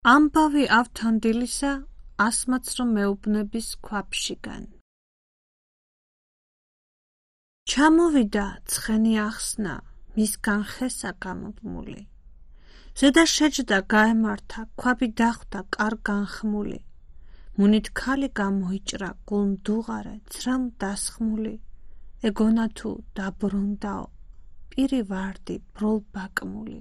ამბავი ავთანდილისა ასმაც რომ მეუბნების ქვაფშიგან. ჩამოვიდა ცხენი ახსნა მისგან ხესა გამობმული. ზედა შეჯდა გაემართა ქვაბი დახვდა კარგან ხმული. მუნით ქალი გამოიჭრა გულმდუღარე ცრამ დასხმული. ეგონა თუ დაბრუნდაო პირი ვარდი ბროლ ბაკმული.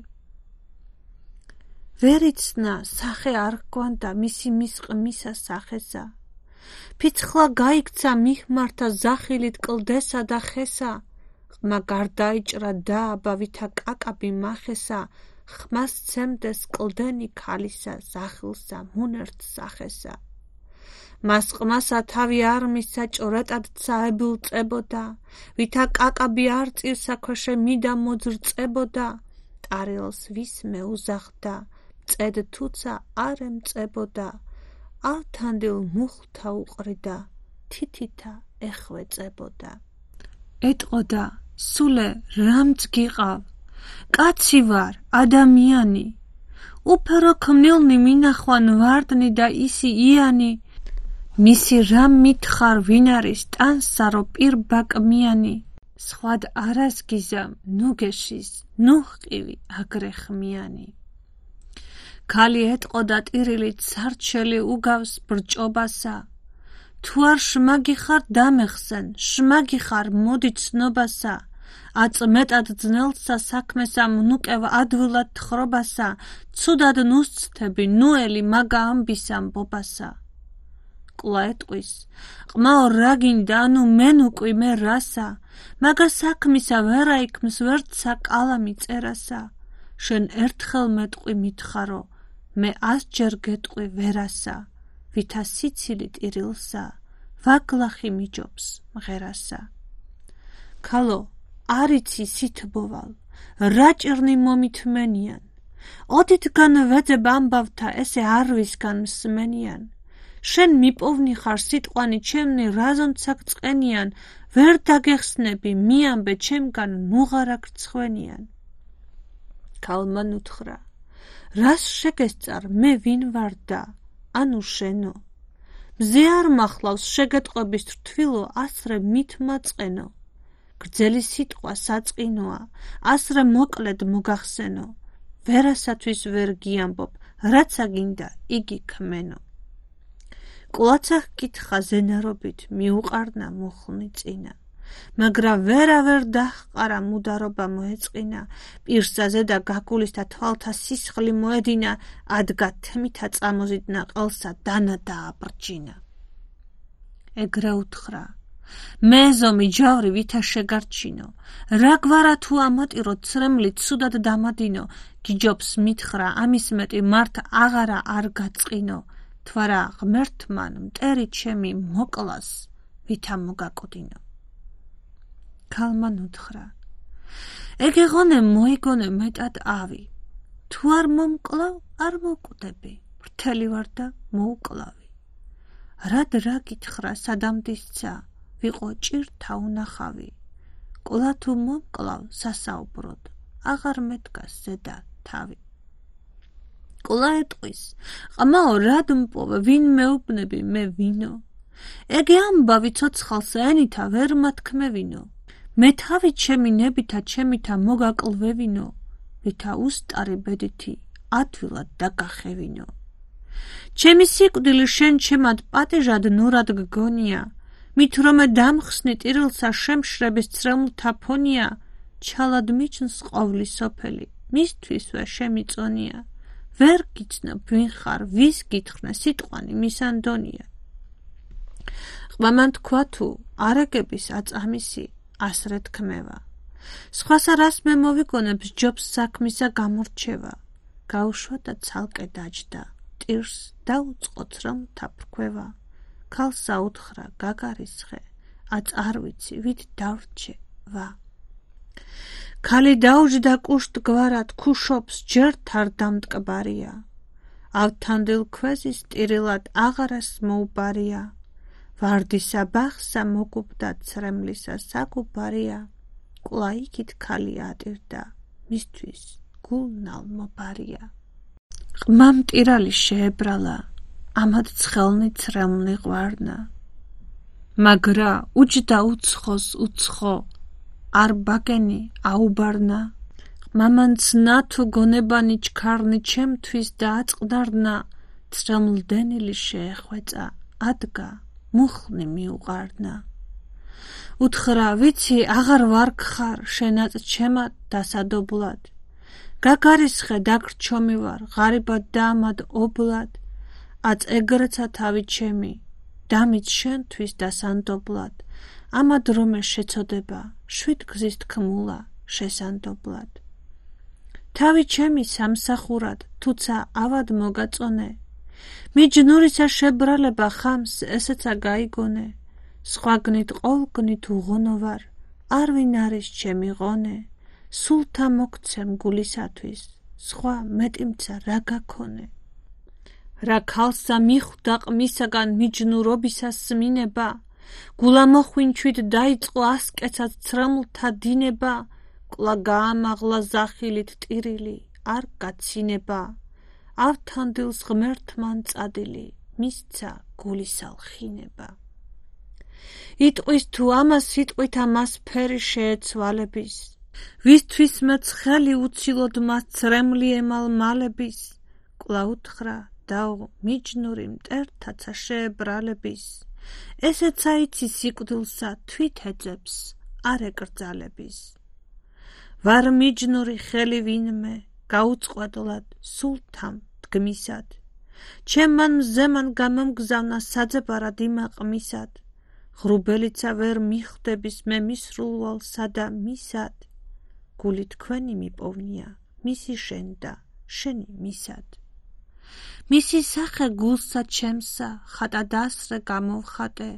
ვერ იცნა სახე არ ჰგვანდა მისი მისყმისა სახესა. ფიცხლა გაიქცა მიხმართა ზახილით კლდესა და ხესა. ხმა გარდაიჭრა დააბა ვითა კაკაბი მახესა. ხმას ცემდეს კლდენი ქალისა ზახილსა მუნერთ სახესა. მას ყმასა თავი არ მისცა ჭორეტად წაებულწებოდა. ვითა კაკაბი არ წირსა ქვეშე მიდა მოძრწებოდა. ტარიელს ვის მეუზახდა წედ თუცა არ ემწებოდა. ავთანდილ მუხლთა უყრიდა თითითა ეხვეწებოდა. ეტყოდა სულე რამც გიყავ კაცი ვარ ადამიანი. უფერო ქმნილნი მინახვან ვარდნი და ისი იანი. მისი რამ მითხარ ვინ არის ტანსარო პირ ბაკმიანი. სხვად არას გიზამ ნუ გეშის ნუ ჰყივი აგრე ხმიანი. ქალი ეტყოდა ტირილით სარჩელი უგავს ბრჭობასა. თუ არ შმაგი ხარ დამეხსენ შმაგი ხარ მოდი ცნობასა. აწმეტად ძნელსა საქმესა მნუკევ ადვილად თხრობასა. ცუდად ნუსცთები ნუელი მაგა ამბის ამბობასა. კლა ეტყვის ყმაო რა გინდა ანუ მენ უკვე მე რასა. მაგა საქმისა ვერა იქმს ვერცა კალამი წერასა. შენ ერთხელ მეტყვი მითხარო მე 100 ჯერ გეტყვი ვერასა. ვითა სიცილი ტირილსა ვაგლახი მიჯობს მღერასა. ქალო არიცი სითბოვალ რა ჭირნი მომითმენიან. ოდითგან ვეძებ ამბავთა ესე არვისგან მსმენიან. შენ მიპოვნი ხარ სიტყვანი ჩემნი რაზონცაკ წყენიან. ვერ დაგეხსნები მიამბე ჩემგან ნუღარა გრცხვენიან. ქალმა ნუთხრა რას შეგესწარ მე ვინ ვარ და ანუ შენო. მზე არ მახლავს შეგეტყვების რთვილო ასრე მით მაწყენო. გრძელი სიტყვა საწყინოა ასრე მოკლედ მოგახსენო. ვერასათვის ვერ გიამბობ რაცა გინდა იგი ქმენო. კვლაცა ჰკითხა ზენარობით მიუყარნა მუხლნი წინა. მაგრამ ვერავერ დაჰყარა მუდარობა მოეწყინა. პირსა ზედა გაგულისთა თვალთა სისხლი მოედინა. ადგა თმითა წამოზიდნა ყელსა დანა დააბრჯინა. ეგრე უთხრა მე ზომი ჯავრი ვითა შეგარჩინო. რა გვარა თუ ამატირო ცრემლით სუდად დამადინო. გიჯობს მითხრა ამის მეტი მართ აღარა არ გაწყინო. თვარა ღმერთმან მტერი ჩემი მოკლას ვითა მოგაკოდინო. ქალმა ნუთხრა ეგეღონე მოიგონე მეტად ავი. თუ არ მომკლავ არ მოკვდები ვრთელი ვარ და მოუკლავი. რად რა გითხრა სადამდისცა ვიყო ჭირთა უნახავი. კლა თუ მომკლავ სასაუბროდ აღარ მედგას ზედა თავი. კლა ეტყვის ყმაო რად მპოვე ვინ მეუბნები მე ვინო. ეგე ამბავი ცოცხალსა ენითა ვერ მათქმევინო. მე თავი ჩემი ნებითა ჩემითა მოგაკლვევინო. ვითა უსტარი ბედითი ადვილად დაგახევინო. ჩემი სიკვდილი შენ ჩემად პატიჟად ნურად გგონია. მით რომე დამხსნი ტირილსა შემშრების ცრემლთა ფონია. ჩალად მიჩნს ყოვლი სოფელი მისთვისვე შემიწონია. ვერ გიცნობ ვინ ხარ ვის გითხრნე სიტყვანი მისანდონია. ყმამან თქვა თუ არაგების აწამისი ასრე თქმევა. სხვასა რას მე მოვიგონებ ჯობს საქმისა გამორჩევა. გაუშვა და ცალკე დაჯდა ტირს დაუწყო ცრემლთა ფრქვევა. ქალსა უთხრა გაგარისხე აწ არ ვიცი ვით დავრჩე ვა. ქალი დაუჯდა კუშტ გვარად ქუშობს ჯერთ არ დამტკბარია. ავთანდილ ქვეზის ტირილად აღარას მოუბარია. ვარდისა ბახსა მოგუბდა ცრემლისა საგუბარია. კლა იქით ქალი ატირდა მისთვის გულნალ მობარია. ყმამ ტირალი შეებრალა, ამად ცხელნი ცრემლნი ყვარნა. მაგრა უჯდა უცხოს უცხო, არ ბაგენი აუბარნა. ყმამანც ნათო გონებანი ჩქარნი ჩემთვის დააწყდარნა, ცრემლდენილი შეეხვეწა, ადგა, მუხლნი მიუყარნა. უთხრა, ვიცი, აღარ ვარ გხარ, შენაც ჩემად დასადობლად. გაგარისხე დაგრჩომი ვარ, ღარიბად და ამად ობლად. აწ ეგრეცა თავი ჩემი, დამიც შენთვის დასანდობლად. ამად რომე შეცოდება, შვიდ გზის თქმულა შესანდობლად. თავი ჩემი სამსახურად, თუცა ავად მოგაწონე. მიჯნურისა შებრალება ხამს ესეცა გაიგონე. სხვა გნით ყოვლგნით უღონო ვარ, არ ვინ არის ჩემი ღონე. სულთა მოგცემ გულისათვის, სხვა მეტიმცა რა გაქონე. რა ქალსა მიხვდა ყმისაგან მიჯნურობისას სმინება, გულა მოხვინჩვით დაიწყო ასკეცად ცრემლთა დინება, კლა გაამაღლა ზახილით ტირილი, არ გაცინება. ავთანდილს ღმერთმან წადილი, მისცა გულისალხინება. იტყვის თუ ამას სიტყვით ამას ფერი შეეცვალების, ვისთვის მეც ხელი უცილოდ მას ცრემლი ემალ მალების. კლა უთხრა, დაო მიჯნური მტერთაცა შეებრალების, ესეცა იცი სიკვდილსა თვით ეძებს, არ ეკრძალების. ვარ მიჯნური ხელი ვინმე, გაუწყვეტლად სულთამ დგმისად. ჩემმან მზემან გამომგზავნა საძებარად იმაყმისად. ღრუბელიცა ვერ მიხვდების მე მისრულვალსა და მისად. გული თქვენი მიპოვნია, მისი შენ და შენი მისად. მისი სახე გულსა ჩემსა, ხატა დასრე გამოვხატე.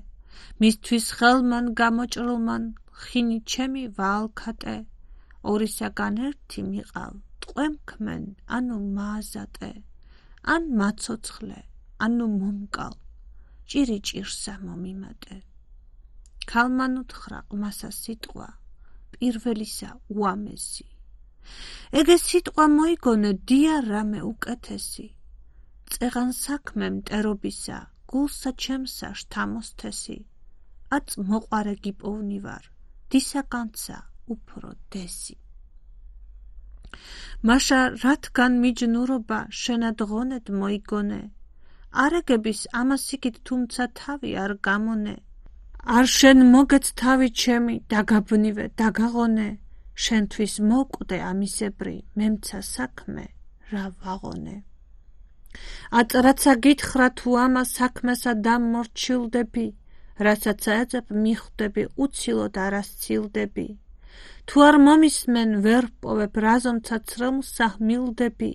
მისთვის ხელმან გამოჭრილმან, ხინი ჩემი ვაალქატე. ორისაგან ერთი მიყავ, ტყვემქმენ, ანუ მააზატე. ან მაცოცხლე, ანუ მომკალ, ჭირი ჭირსა მომიმატე. ქალმან უთხრა ყმასა სიტყვა, პირველისა უამესი. ეგე სიტყვა მოიგონე დია რამე უკეთესი. წეღან საქმე მტერობისა, გულსა ჩემსა შთამოსთესი. აწ მოყარე გიპოვნი ვარ, დისაგანცა უფრო დესი. მაშა რათგან მიჯნურობა შენად ღონედ მოიგონე. არაგების ამას იქით თუმცა თავი არ გამონე. არ შენ მოგეც თავი ჩემი, დაგაბნივე, დაგაღონე. შენთვის მოკვდე ამისებრი, მემცა საქმე რა ვაღონე. აწ რაცა გითხრა თუ ამას საქმესა დამმორჩილდები, რასაც ეძებ მიხვდები, უცილოდ არასცილდები. თუ არ მომისმენ ვერ პოვებ, რაზომცა ცრემლსა ჰმილდები,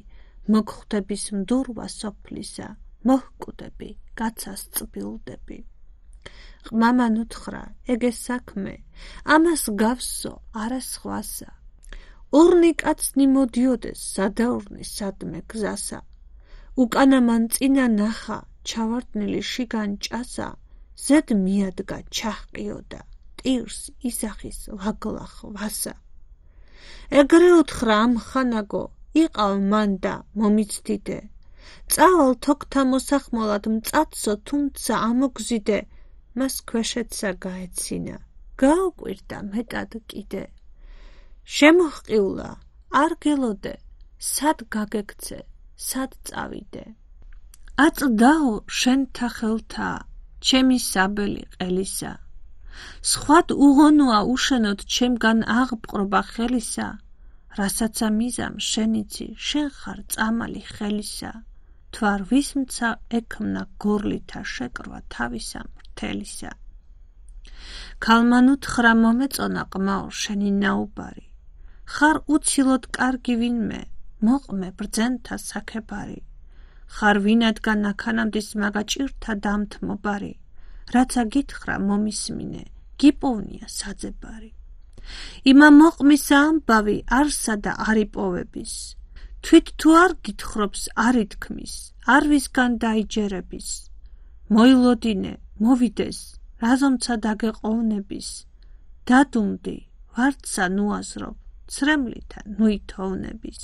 მოგხვდების მდურვა სოფლისა, მოჰკვდები, კაცას წბილდები. ყმამან უთხრა, ეგე საქმე, ამას გავსო, არა სხვასა. ორნი კაცნი მოდიოდეს, სადაორნი სადმე გზასა. უკანა მან წინა ნახა, ჩავარდნილი შიგან ჭასა, ზედ მიადგა ჩაჰყიოდა, ტირს ისახის ვაგლახ ვასა. ეგრე უთხრა ამხანაგო, იყავ მან და მომიცდიდე. წავალ თოქთა მოსახმოლად მწაცო, თუმცა ამოგზიდე. მას ქვეშეცა გაეცინა, გააკვირდა მეტად კიდე. შემოჰყიულა, არ გელოდე, სად გაგექცე, სად წავიდე. აწ დაო შენთა ხელთა, ჩემი საბელი ყელისა. სხვად უღონოა უშენოდ ჩემგან აღბრყობა ხელისა. რასაცა მიზამ შენიცი, შენ ხარ წამალი ხელისა. თუ არ ვისმცა ექმნა გორლითა შეკრვა თავისა მთელისა. ქალმან უთხრა მომეწონა ყმაო შენი ნაუბარი. ხარ უცილოდ კარგი ვინმე, მოყმე ბრძენთა საქებარი. ხარ ვინადგან აქანამდის მაგაჭირთა დამთმობარი. რაცა გითხრა მომისმინე, გიპოვნია საძებარი. იმა მოყმისა ამბავი არსა და არ იპოვების. თვით თუ არ გითხრობს არ ითქმის, არ ვისგან დაიჯერების. მოილოდინე, მოვიდეს, რაზომცა დაგეყოვნების. დადუნდი, ვარდსა ნუაზრობ, ცრემლითა ნუითოვნების.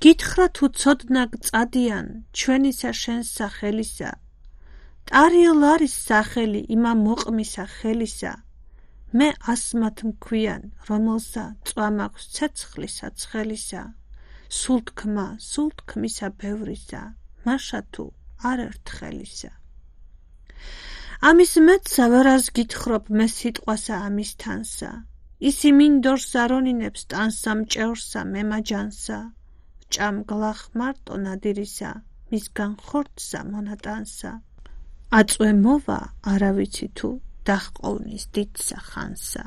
გითხრა თუ ცოდნა გწადიან ჩვენისა შენს სახელისა, ტარიელ არის სახელი იმა მოყმისა ხელისა, მე ასმათ მქვიან, რომელსა წვამ აქვს ცეცხლისა ცხელისა, სულთქმისა ბევრისა, მაშა თუ არ ერთხელისა. ამის მეტსა ვერას გითხრობ მე სიტყვასა ამის თანსა, ისი მინდორს არონინებს ტანსა მჭევრსა მემაჯანსა, ჭამ გლახ მარტო ნადირისა, მისგან ხორცსა მონატანსა, აწვე მოვა არავიცი თუ დახყოვნის დიდსა ხანსა.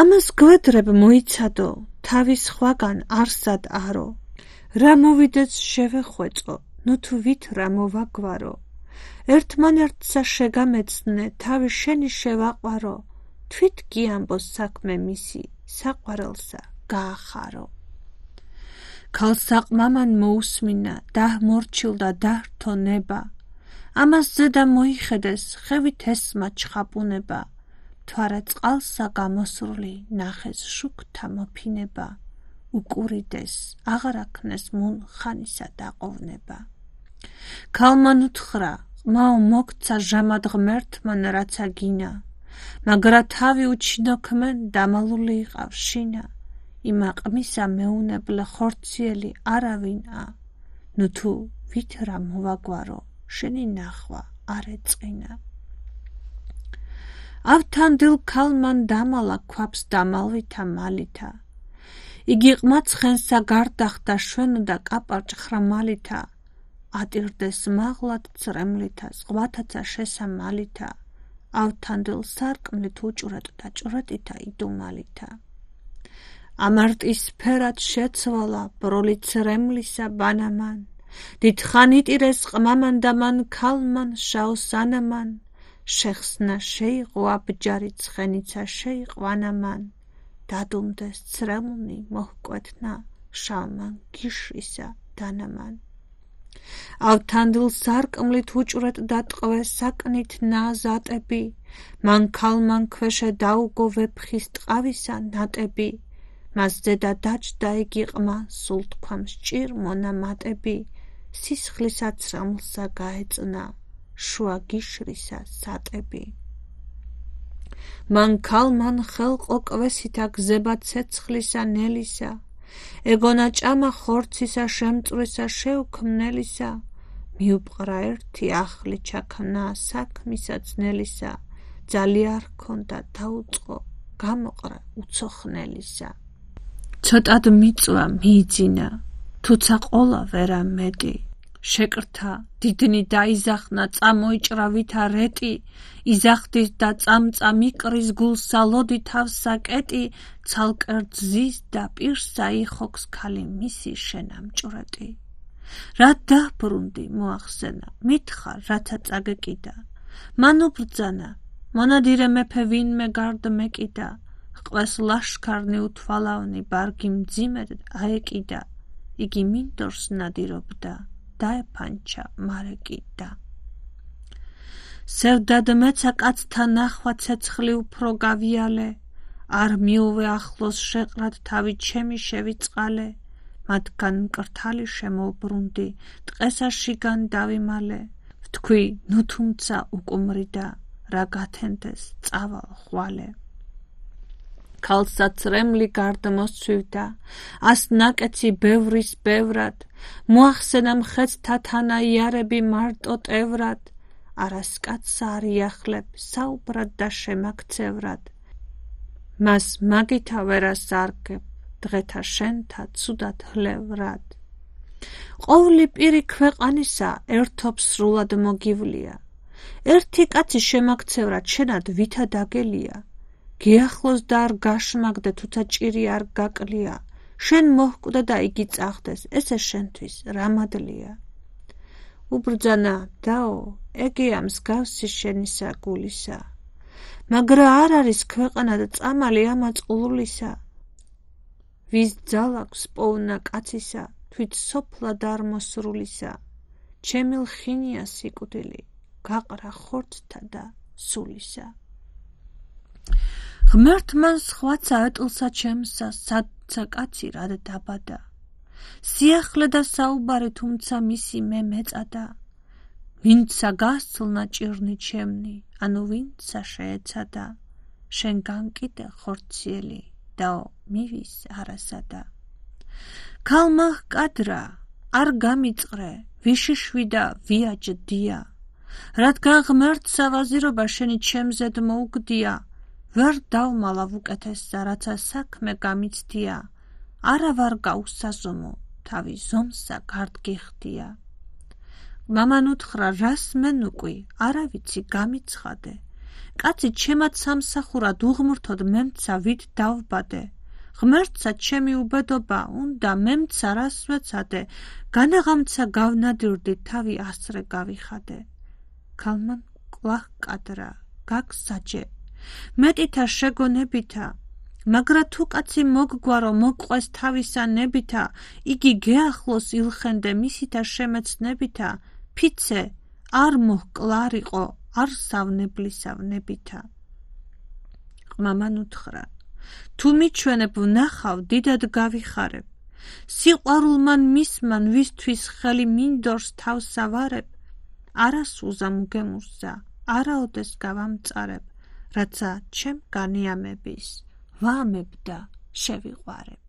ამას გვედრებ მოიცადო, თავის ხვაგან არსად არო, რა მოვიდეს შევეხვეწო, ნუ თუ ვით რა მოვაგვარო, ერთმანერთსა შეგამეცნე, თავი შენი შევაყვარო, თვით გიამბოს საქმე მისი, საყვარელსა გაახარო. ქალსაყმამან მოусმინა, დაჰმორჩილდა დაჰრთო ნება, ამას ზედა მოიხედეს, ხევით ესმა ჩხაპუნება, თვარა წყალსა გამოსრული, ნახეს შუქთა მოფინება, უკურიდეს, აღარ აქნეს მუნ ხანისა დაყოვნება. ქალმან უთხრა, ყმაო მოგცა ჟამად ღმერთმან რაცა გინა, მაგრა თავი უჩინოქმენ დამალული იყავ შინა, იმა ყმისა მეუნებლე ხორციელი არავინა, ნუ თუ ვით რა მოვაგვარო, შენი ნახვა არ ეწყინა. ავთანდილ ქალმან დამალა ქვაფს დამალვითა მალითა, იგი ყმა ცხენსა გარდახდა შვენოდა კაპარჭ ხრამალითა, ატირდეს მაღლად წრემლითა, ზღვათაცა შესამალითა, ავთანდილ სარკმლით უჭვრეტ და ჭვრეტითა იდუმალითა. ამარტის ფერად შეცვალა ბროლი წრემლისა ბანამან, დიდხან იტირეს ყმამან და მან ქალმან შაოსანამან, შეხსნა შეიღო აბჯარი ცხენიცა შეიყვანამან, დადუმდეს წრემლნი მოჰკვეთნა შალმან გიშრისა დანამან. ავთანდილ სარკმლით უჭვრეტ და ტყვეს საკნით ნაზატები, მან ქალმან ქვეშე დაუგო ვეფხის ტყავისა ნატები, მას ზედა დაჯდა იგი ყმა, სულ თქვამს ჭირ მონამატები, სისხლისა ცრემლსა გაეწნა, შუა გიშრისა სატები. მან ქალმან ხელყო კვესითა გზება ცეცხლისა ნელისა, ეგონა ჭამა ხორცისა შემწვრისა შეუქმნელისა, მიუპყრა ერთი ახლი ჩაქნა საქმისა ძნელისა, ძალია არ ჰქონდა დაუწყო, გამოყრა უცოხნელისა. ცოტად მიწვა მიიძინა, თუცა ყოლა ვერა მეტი, შეკრთა დიდნი დაიზახნა, წამოიჭრა ვითა რეტი, იზახდის და წამწა მიკრის გულსა ლოდი თავსა კეტი, ცალკერთ ზის და პირსა იხოქს ქალი მისი შენამჭვრეტი. რა დაბრუნდი მოახსენა, მითხარ რათა წაგეკიდა, მან უბრძანა, მონადირე მეფე ვინმე გარდ მეკიდა, ჰყვეს ლაშქარნი უთვალავნი ბარგი მძიმედ აეკიდა, იგი მინდორს ნადირობდა, დაეფანჩა მარეკიდა. სევდად მეცა კაცთა ნახვა ცეცხლი უფრო გავიალე, არ მიუვე ახლოს შეყრად თავი ჩემი შევიწყალე, მათგან მკრთალი შემოუბრუნდი, ტყესა შიგან დავიმალე, ვთქვი ნუ თუმცა უკუმრიდა, რა გათენდეს წავალ ხვალე. ქალსა წრემლი გარდ მოსცვივდა, ას ნაკეცი ბევრის ბევრად, მოახსენა მხეცთა თანა იარები მარტო ტევრად, არას კაცსა არ იახლებ საუბრად და შემაქცევრად, მას მაგითა ვერას არგებ, დღეთა შენთა ცუდად ჰლევრად. ყოვლი პირი ქვეყანისა ერთობს სრულად მოგივლია, ერთი კაცი შემაქცევრად შენად ვითა დაგელია, გიახლოს და არ გაშმაგდე თუცა ჭირი არ გაკლია, შენ მოჰკვდა და იგი წახდეს, ესე შენთვის რამადლია. უბრძანა დაო, ეგეა მსგავსი შენისა გულისა, მაგრა არ არის ქვეყანა და წამალი ამა წყლულისა, ვის ძალაქვს პოვნა კაცისა, თვით სოფლად არ მოსრულისა, ჩემი ლხინია სიკვდილი, გაყრა ხორცთა და სულისა. ღმერთმან სხვაცა ეტლსა ჩემსა, სადცა კაცი რად დაბადა. სიახლე და საუბარი თუმცა მისი მე მეწადა. ვინცა გასცლნა ჭირნი ჩემნი, ანუ ვინცა შეეცადა. შენგან კიდე ხორციელი დაო მივის არასადა. ქალმა ჰკადრა, არ გამიწყრე, ვიშიშვიდა ვიაჯდია. რადგან ღმერთსა ვაზირობა შენი ჩემზედ მოუგდია, ვერ დავმალა უკეთესსა, რაცა საქმე გამიცდია. არა ვარ გაუსაზომო, თავი ზომსა გარდგიხდია. მამან უთხრა, რას მენუყვი, არა ვიცი გამიცხადე. კაცი ჩემად სამსახურად უღმრთოდ მემცა ვით დავბადე. ღმერთსა ჩემი უბედობა უნდა მემცა რას ვეცადე. განაღამცა გავნადირდი, თავი ასრე გავიხადე. ქალმან კვლავ კადრა, გაგსაჯე, მეტითა შეგონებითა. მაგრა თუ კაცი მოგგვარო, მოგყვეს თავისა ნებითა, იგი გეახლოს ილხენდე მისითა შემეცნებითა. ფიცე არ მოჰკლარიყო, არ სავნებლისავნებითა. მამან უთხრა, თუ მიჩვენებ ვნახავ, დიდად გავიხარებ. სიყვარულმან მისმან, ვისთვის ხელი მინდორს თავსავარებ. არასუზა მუგემურსა, არაოდეს გავამწარებ, რაცა ჩემ განიამების ვამებ და შევიყვარებ.